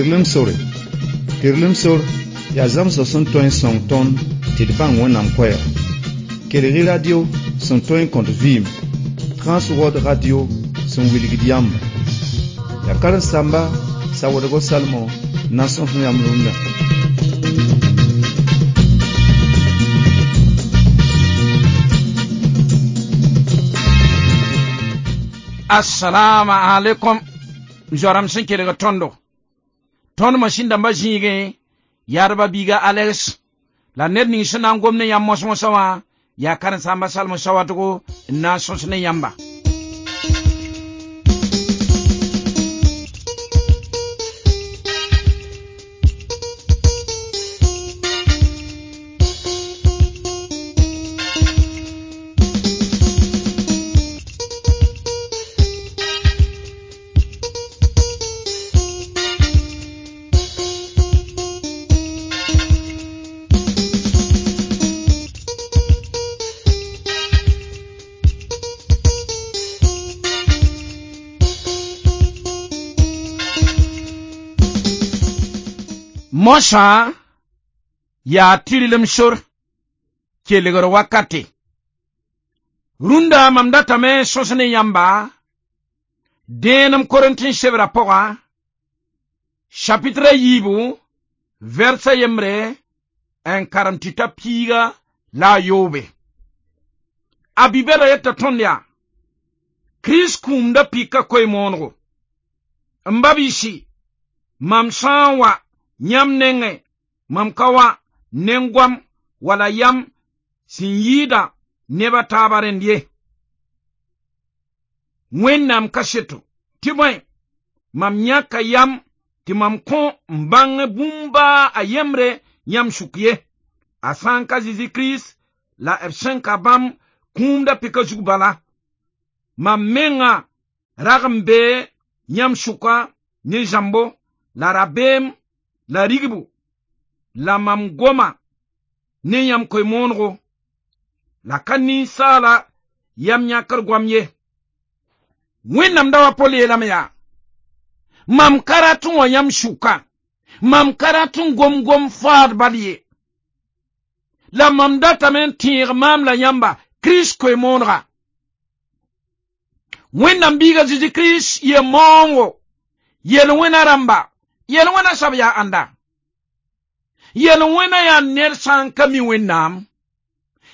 Tɩrlem sore. Tɩrlem sor yaa zãmsg sẽn tõe n sõng tõnd tɩ d bãng Wẽnnaam koɛɛg. Kelg-y radio sẽn tõe n kõt vɩɩm, Transworld Radio sẽn wilgd yãmba. Yaa karen-saamba Sawadgo Salmon n na n sõs yãmb rũndã. Assalamu alaikum. Zoram sẽn kelg tõndo. Tõnd masĩn dãmbã zĩigẽ yaadba biiga Alex la ned ning sẽn na n gom ne yãmb mos-mosã wã yaa karen-saamba Salmo Sawadgo n na n sõs ne yãmba. Mosã yaa tɩrlem sor kelgr wakate. Rũndã mam datame n sõs ne yãmba dẽenem Korẽntɩ sebrã pʋga chapitre yiibu vɛrsa yembre n karem tɩ ta piiga la a yoobe. A bi-bɛda yeta tõnd yaa Kirist kũumda pika koe-moonego. M ba biisi, mam sã n wa yãmb nengẽ, mam ka wa nen-goam wala yam sẽn yɩɩda neb a taaba rẽnd ye. Wẽnnaam kaseto tɩ bõe, mam yãka yam tɩ mam kõ n bãng bũmb baa a yembre yãmb sʋk ye. A sã n ka Zezi Kirist la b sẽn ka bãmb kũumda pika zug bala. Mam menga rag n bee yãmb sʋka ne zãmbo la rabeem la rigbu la mam goma ne yãmb koe-moonego la ka ninsaala yam yãkr goam ye. Wẽnnaam da wa Pol yeelame yaa mam ka rat n wa yãmb sʋka, mam ka rat n gom-gom faad bal ye. La mam datame n tẽeg maam la yãmba Kirist koe-moonega. Wẽnnaam biiga Zezi Kirist yel-maoongo, yel-wẽna rãmba, yel-wẽna sab yaa ãnda. Yel-wẽna yaa ned sã n ka mi Wẽnnaam.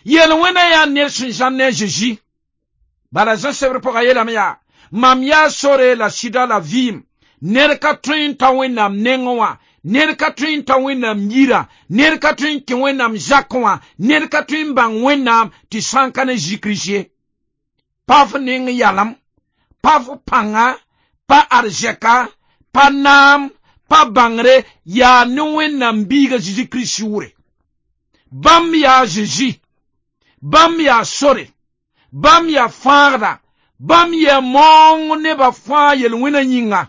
Yel-wẽna yaa ned sẽn zãr ne a Zezi. Bala Zã sebr pʋga yeelame yaa mam yaa sore la sɩda la vɩɩm. Ned ka tõe n ta Wẽnnaam nengẽ wã, ned ka tõe n ta Wẽnnaam yirã, ned ka tõe n kẽ Wẽnnaam zakẽ wã, ned ka tõe n bãng Wẽnnaam tɩ sã n ka ne Zezi Kirist ye. Pa f neng yalem, pa f pãnga, pa arzɛka, pa naam, pa bãngre yaa ne Wẽnnaam biiga Zezi Kirist sʋʋre. Bãmb yaa Zezi, bãmb yaa sore, bãmb yaa fãagda, bãmb yaa maoong nebã fãa yel-wẽna yĩnga.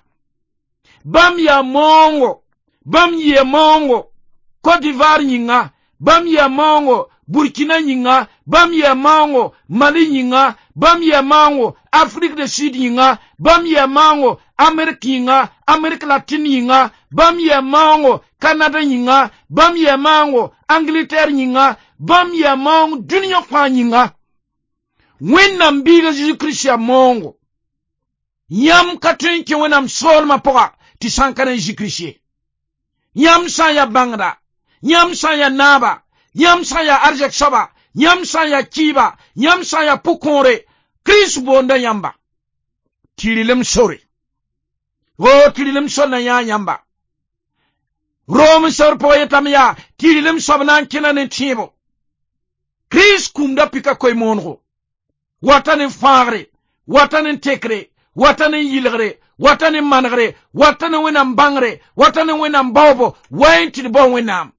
Bãmb yaa maoongo, bãmb yɩa maoongo Côte d'Ivoire yĩnga, bãmb yaa maoongo Burkina yĩnga, bãmb yaa maoongo Mali yĩnga, bãmb yaa maoongo Afrique du Sud yĩnga, bãmb yaa maoongo Amérique yĩnga, Amérique latine yĩnga, bãmb yaa maoongo Canada yĩnga, bãmb yaa maoongo Angleterre yĩnga, bãmb yaa maoong dũniyã fãa yĩnga. Wẽnnaam biiga Zezi Kirist yaa maoongo. Yãmb ka tõe n kẽ Wẽnnaam soolmã pʋga tɩ sã n ka ne Zezi Kirist ye. Yãmb sã n yaa bãngda, yãmb sã n yaa naaba, yãmb sã n yaa arzɛk soaba, yãmb sã n yaa kɩɩba, yãmb sã n yaa pʋ-kõore, Kirist boonda yãmba. Tɩrlem sore. O tɩrlem sor na yãa yãmba. Rom sebr pʋgã yetame yaa tɩrlem soab na n kẽna ne tẽebo. Kirist kũumda pika koe-moonego. Wata ne fãagre, wata ne tekre, wata ne yɩlgre, wata ne manegre, wata ne Wẽnnaam bãngre, wata ne Wẽnnaam baoobo, wa n tɩ d bao Wẽnnaam.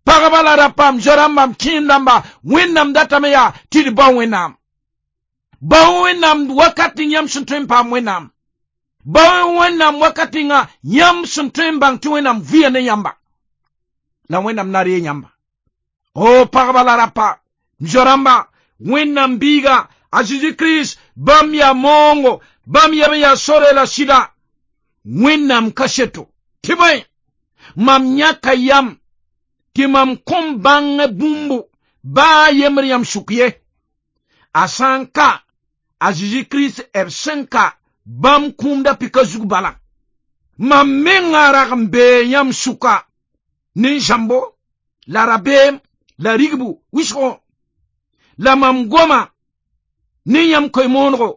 Pagba la rapam, zo-rãmba, kẽem dãmba, Wẽnnaam datame yaa tɩ d bao Wẽnnaam. Bao Wẽnnaam wakat ning yãmb sẽn tõe n paam Wẽnnaam. Bao Wẽnnaam wakat ninga yãmb sẽn tõe n bãng tɩ Wẽnnaam vɩa ne yãmba. La Wẽnnaam na ree yãmba. O pagba la rapa, zo-rãmba, Wẽnnaam biiga, a Zezi Kirist, bãmb yaa maoongo, bãmb yam yaa sore la sɩda. Wẽnnaam kaseto. Tɩ bõe mam yãka yam tɩ mam kõn bãng bũmbu baa yembr yãmb sʋk ye. A sã n ka a Zeezi Kirist b sẽn ka bãmb kũumda pika zug bala. Mam menga rag n bee yãmb sʋka ne zãmbo la rabeem la rigbu wɩsgo la mam goma ne yãmb koe-moonego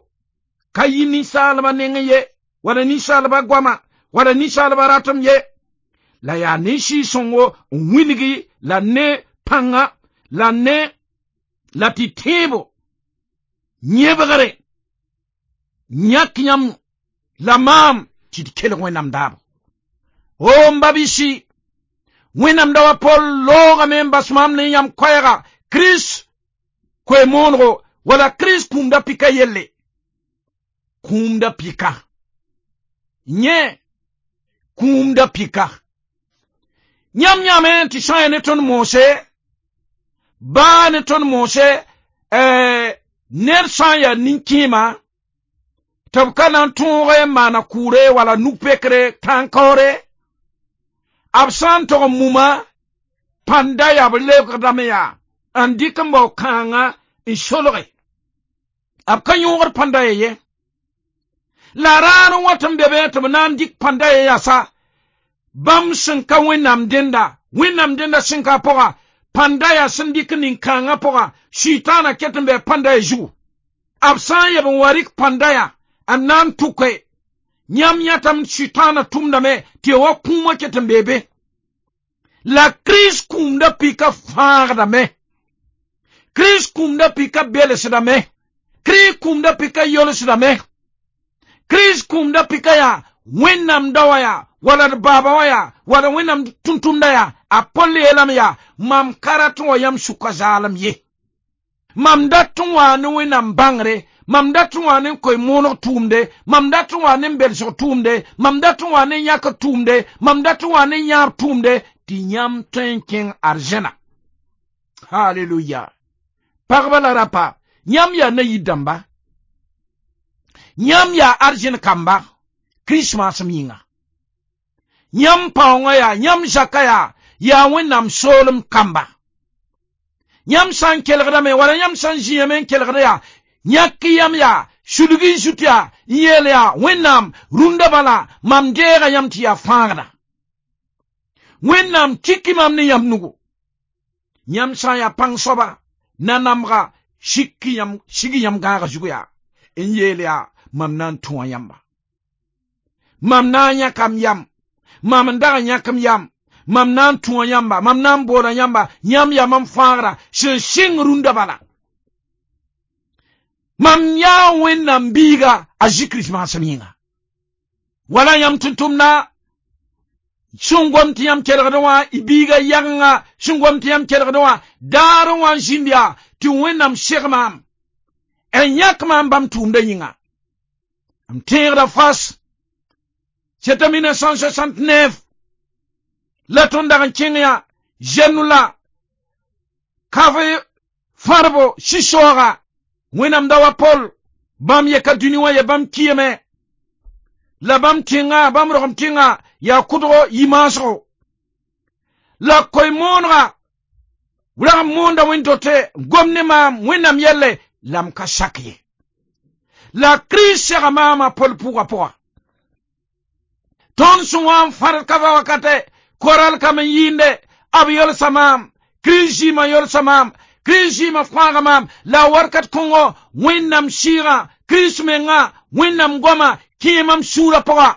ka yɩ ninsaalbã nengẽ ye wala ninsaalbã goama wala ninsaalbã ratem ye la yaa ne Sɩɩg-sõngo n wilgi la ne pãnga la ne la tɩ tẽebo yẽbgre yãk yãmb la maam tɩ d kelg Wẽnnaam daabo. O m ba-biisi, Wẽnnaam da wa Pol loogame n bas maam ne yãmb koɛɛga Kirist koe-moonego wala Kirist kũumda pika yelle. Kũumda pika yẽ kũumda pika yãmb yãame tɩ sã n yaa ne tõnd moose baa ne tõnd moose ned sã n yaa nin-kẽema tɩ b ka na n tõog n maana kʋʋre wala nug-pekre tãn-kaoore b sã n tog n muma pãnda yaa b lebgdame yaa n dɩk n bao kãanga n solge b ka yõogd pãnda ya ye la raar n wat n be be tɩ b na n dɩk pãnda ya yasa bãmb sẽn ka Wẽnnaam dẽnda Wẽnnaam dẽnda sẽn ka a pʋga pãnda yaa sẽn dɩk nin-kãangã pʋga Sʋɩtãana ket n bɩ pãnda ya zugu b sã n yeb n wa rɩk pãnda ya n na n tʋke yãmb yãtame Sʋɩtãana tʋmdame tɩ ya wa kũumã ket n bee be la Kirist kũumda pika fãagdame Kirist kũumda pika belsdame Kirist kũumda pika yolsdame Kirist kũumda pika yaa Wẽnnaam daoã yaa wala d baaba wã yaa wala Wẽnnaam tʋm-tʋmda yaa a Pol yeelame yaa mam ka rat n wa yãmb sʋka zaalem ye mam dat n waa ne Wẽnnaam bãngre mam dat n waa ne koe-mooneg tʋʋmde mam dat n waa ne belsg tʋʋmde mam dat n waa ne yãkr tʋʋmde mam dat n waa ne yãab tʋʋmde tɩ yãmb tõe n kẽng arzẽna. Haleluya. Pagba la rapa yãmb yaa na-yir dãmba yãmb yaa arzẽn kamba Krismasem yĩnga yãmb paoongã yaa yãmb zaka yaa yaa Wẽnnaam soolem kamba yãmb sã n kelgdame wala yãmb sã n zĩame n kelgda yaa yãk yãmb yaa sulg y zut yaa n yeel yaa Wẽnnaam rũndã bala mam deega yãmb tɩ yaa fãagda Wẽnnaam tiki mam ne yãmb nugu yãmb sã n yaa pãng soaba nanamga sik yãmb sig yãmb gãagã zugu yaa n yeel yaa mam na n tõa yãmba mam na n yãkam yam mam n dag n yãkem yam mam na n tõa yãmba mam na n boola yãmba yãmb yaa mam fãagra sẽn sɩng rũndã bala mam yaa Wẽnnaam biiga a Zĩ Kirist maasem yĩnga wala yãmb tʋm-tʋmda sẽn gom tɩ yãmb kelgdẽ wã y biiga yagenga sẽn gom tɩ yãmb kelgdẽ wã daar n wa n zĩnd yaa tɩ Wẽnnaam seg maam n yãk maam bãmb tʋʋmdã yĩnga m tẽegda fas c'était 1969 la tõnd dag n kẽng yaa zɛnu la kafe fãrbo sɩ-soooga Wẽnnaam da wa Pol bãmb yeka dũni wã ye bãmb kiyame la bãmb tẽnga bãmb rogem tẽnga yaa kʋdgo yi-maasgo la koe-moonega rag n moonda wẽn-dote gom ne maam Wẽnnaam yɛlle la m ka sak ye la Kirist sega maama Pol pʋgã pʋga tõnd sẽn wa n fãd ka wakate koral kam n yɩɩnde b yolsa maam Kirist zɩɩmã yolsa maam Kirist zɩɩmã fãaga maam la wakat kõngo Wẽnnaam sɩɩgã Kirist menga Wẽnnaam goama kẽe mam sũurã pʋga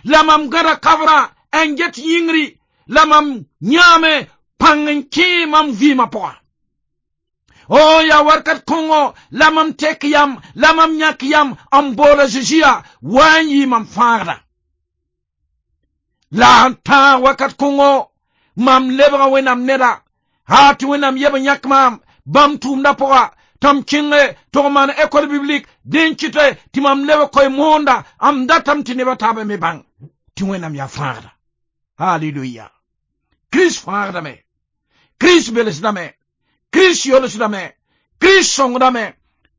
la mam gãda kabrã n get yĩngri la mam yãame pãng n kẽe mam vɩɩmã pʋga o yaa wakat kõngo la mam tek yam la mam yãk yam n boola Zeezi yaa wa n yɩ mam fãagda la n tãag wakat kõngo mam lebga Wẽnnaam neda haa tɩ Wẽnnaam yeb n yãk maam bãmb tʋʋmdã pʋga tɩ m kẽnge tɩ g maan école biblique dẽ n kɩtɛ tɩ mam leb koe-moonda m datame tɩ nebã taabã me bãng tɩ Wẽnnaam yaa fãagda. Haleluya. Kirist fãagdame Kirist belsdame Kirist yolsdame Kirist sõngdame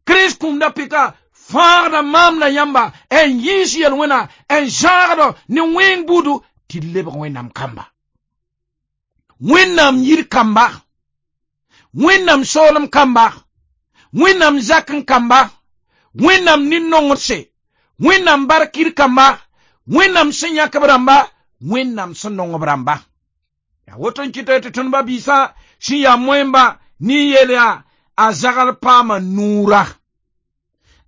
Kirist kũumda pika fãagda maam la yãmba n yiis yel-wẽna n zãagd ne wẽng buudu. Tɩ d lebg Wẽnnaam kamba. Wẽnnaam yir kamba, Wẽnnaam soolem kamba, Wẽnnaam zak n kamba, Wẽnnaam nin-nongdse, Wẽnnaam barkir kamba, Wẽnnaam sẽn yãk b rãmba, Wẽnnaam sẽn nong b rãmba. Yaa woto n kɩta tɩ tõnd ba-biisã sẽn yaa moẽmba ne yeel yaa a zagl paama nuura,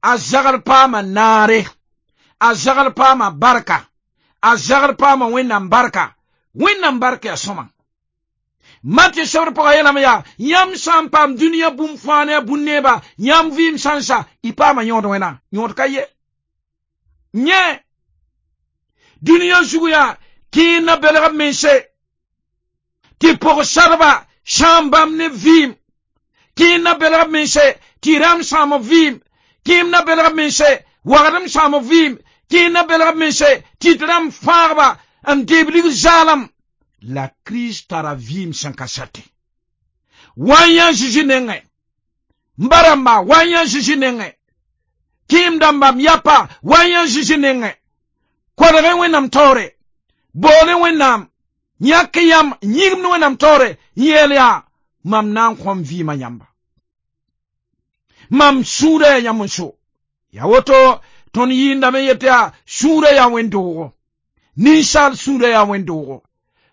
a zagl paama naare, a zagl paama barka, a zagl paama Wẽnnaam barka. Wẽnnaam barka yaa sõma. Matɩ sebr pʋga yeelame yaa yãmb sã n paam dũniyã bũmb fãa ne a bũn-neeba, yãmb vɩɩm sã n sa, y paama yõod wẽna, yõod ka ye. Yẽ dũniyã zugu yaa kẽer na belg b mense tɩ pʋg-sadba sãam bãmb ne vɩɩm, kẽer na belg b mense tɩ rãmb sãam b vɩɩm, kẽem na belg b mense wagdem sãam b vɩɩm, kẽer na belg b mense tɩ d rãmb fãagba n deeb lig zaalem. La Kirist tara vɩɩm sẽn ka sate. Wa n yã Zeezi nengẽ, m ba rãmba, wa n yã Zeezi nengẽ, kẽem dãmba, m yapa, wa n yã Zeezi nengẽ, kolg Wẽnnaam taoore, bool Wẽnnaam, yãk yãmb, yĩgimd Wẽnnaam taoore, n yeel yaa mam na n kõm vɩɩmã yãmba. Mam sũurã yaa yãmb n so. Yaa woto tõnd yɩɩndame yet yaa sũurã yaa wẽn-doogo. Ninsaal sũurã yaa wẽn-doogo.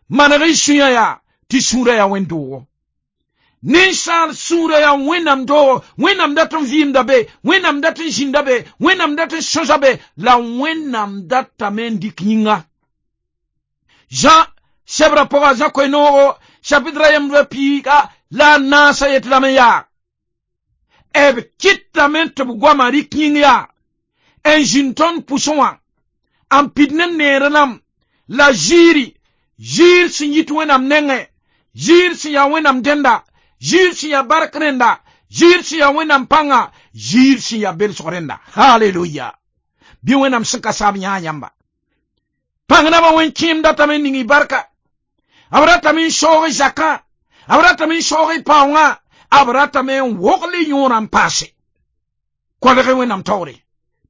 Maneg y sũyã yaa tɩ sũurã yaa wẽn-doogo. Ninsaal sũurã yaa Wẽnnaam doogo. Wẽnnaam dat n vɩɩmda be, Wẽnnaam dat n zĩnda be, Wẽnnaam dat n sõsa be, la Wẽnnaam datame n dɩk yĩnga. Zã sebrã pʋga Zã koe-noogo chapitre yembra piiga la a naasã yet lame yaa b kɩtame tɩ b goamã rɩk yĩng yaa n zĩnd tõnd pʋsẽ wã n pid ne neer-rãmb la ziiri, ziir sẽn yit Wẽnnaam nengẽ, ziir sẽn yaa Wẽnnaam dẽnda, ziir sẽn yaa bark rẽnda, ziir sẽn yaa Wẽnnaam pãnga, ziir sẽn yaa belsg rẽnda. Haleluya! Bɩ Wẽnnaam sẽn ka saam yãa yãmba. Pãng nabã wẽn-kẽem datame n ning y barka, b ratame n soog y zakã, b ratame n soog y paoongã, b ratame n wogl y yõorã n paase. Kolg Wẽnnaam taoore,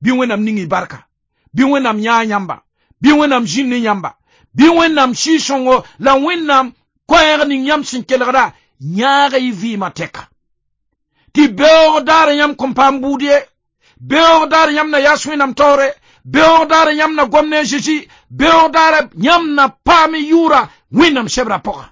bɩ Wẽnnaam ning y barka, bɩ Wẽnnaam yãa yãmba, bɩ Wẽnnaam zĩnd ne yãmba, bɩ Wẽnnaam Sɩɩg-sõngo la Wẽnnaam koɛɛg ning yãmb sẽn kelgda yãag y vɩɩmã tɛka. Tɩ beoog daar yãmb kõn paam buud ye, beoog daar yãmb na yas Wẽnnaam taoore, beoog daar yãmb na gom ne a Zezi, beoog daar yãmb na paam y yʋʋra Wẽnnaam sebrã pʋga.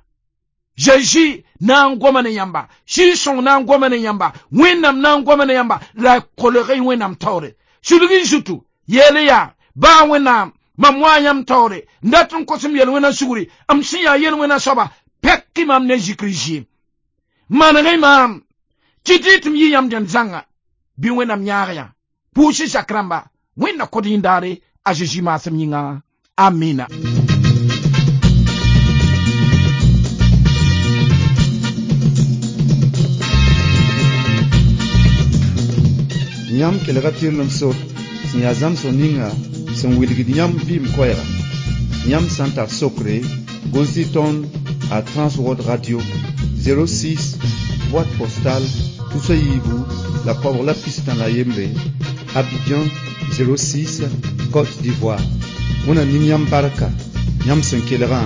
Zezi na n goma ne yãmba, Sɩɩg-sõng na n goma ne yãmba, Wẽnnaam na n goma ne yãmba, la kolg y Wẽnnaam taoore. Sulg y zutu, yeel yaa baa Wẽnnaam mam wa yãmb taoore, n dat n kos m yel-wẽnã sugri, m sẽn yaa yel-wẽnã soaba, pɛk mam ne zikr zɩɩm. Maneg maam, kɩt tɩ m yɩ yãmb dẽnd zãnga, bɩ Wẽnnaam yãag yã. Pʋʋs zak rãmba, Wẽnna kod yĩndaare a Zezi maasem yĩnga. Amina. Yãmb kelga tɩrlem sor sẽn yaa zãmsg ninga sẽn wilgd yãmb vɩɩm koɛɛga. Yãmb sã n tar sokre, gʋls-y tõnd a Transworld Radio 06 boîte postale tusa yiibu la koabg la pistã la yembre, Abidjan 06 Côte d'Ivoire. Wẽna ning yãmb barka yãmb sẽn kelgã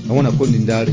la wẽna kom nindaare.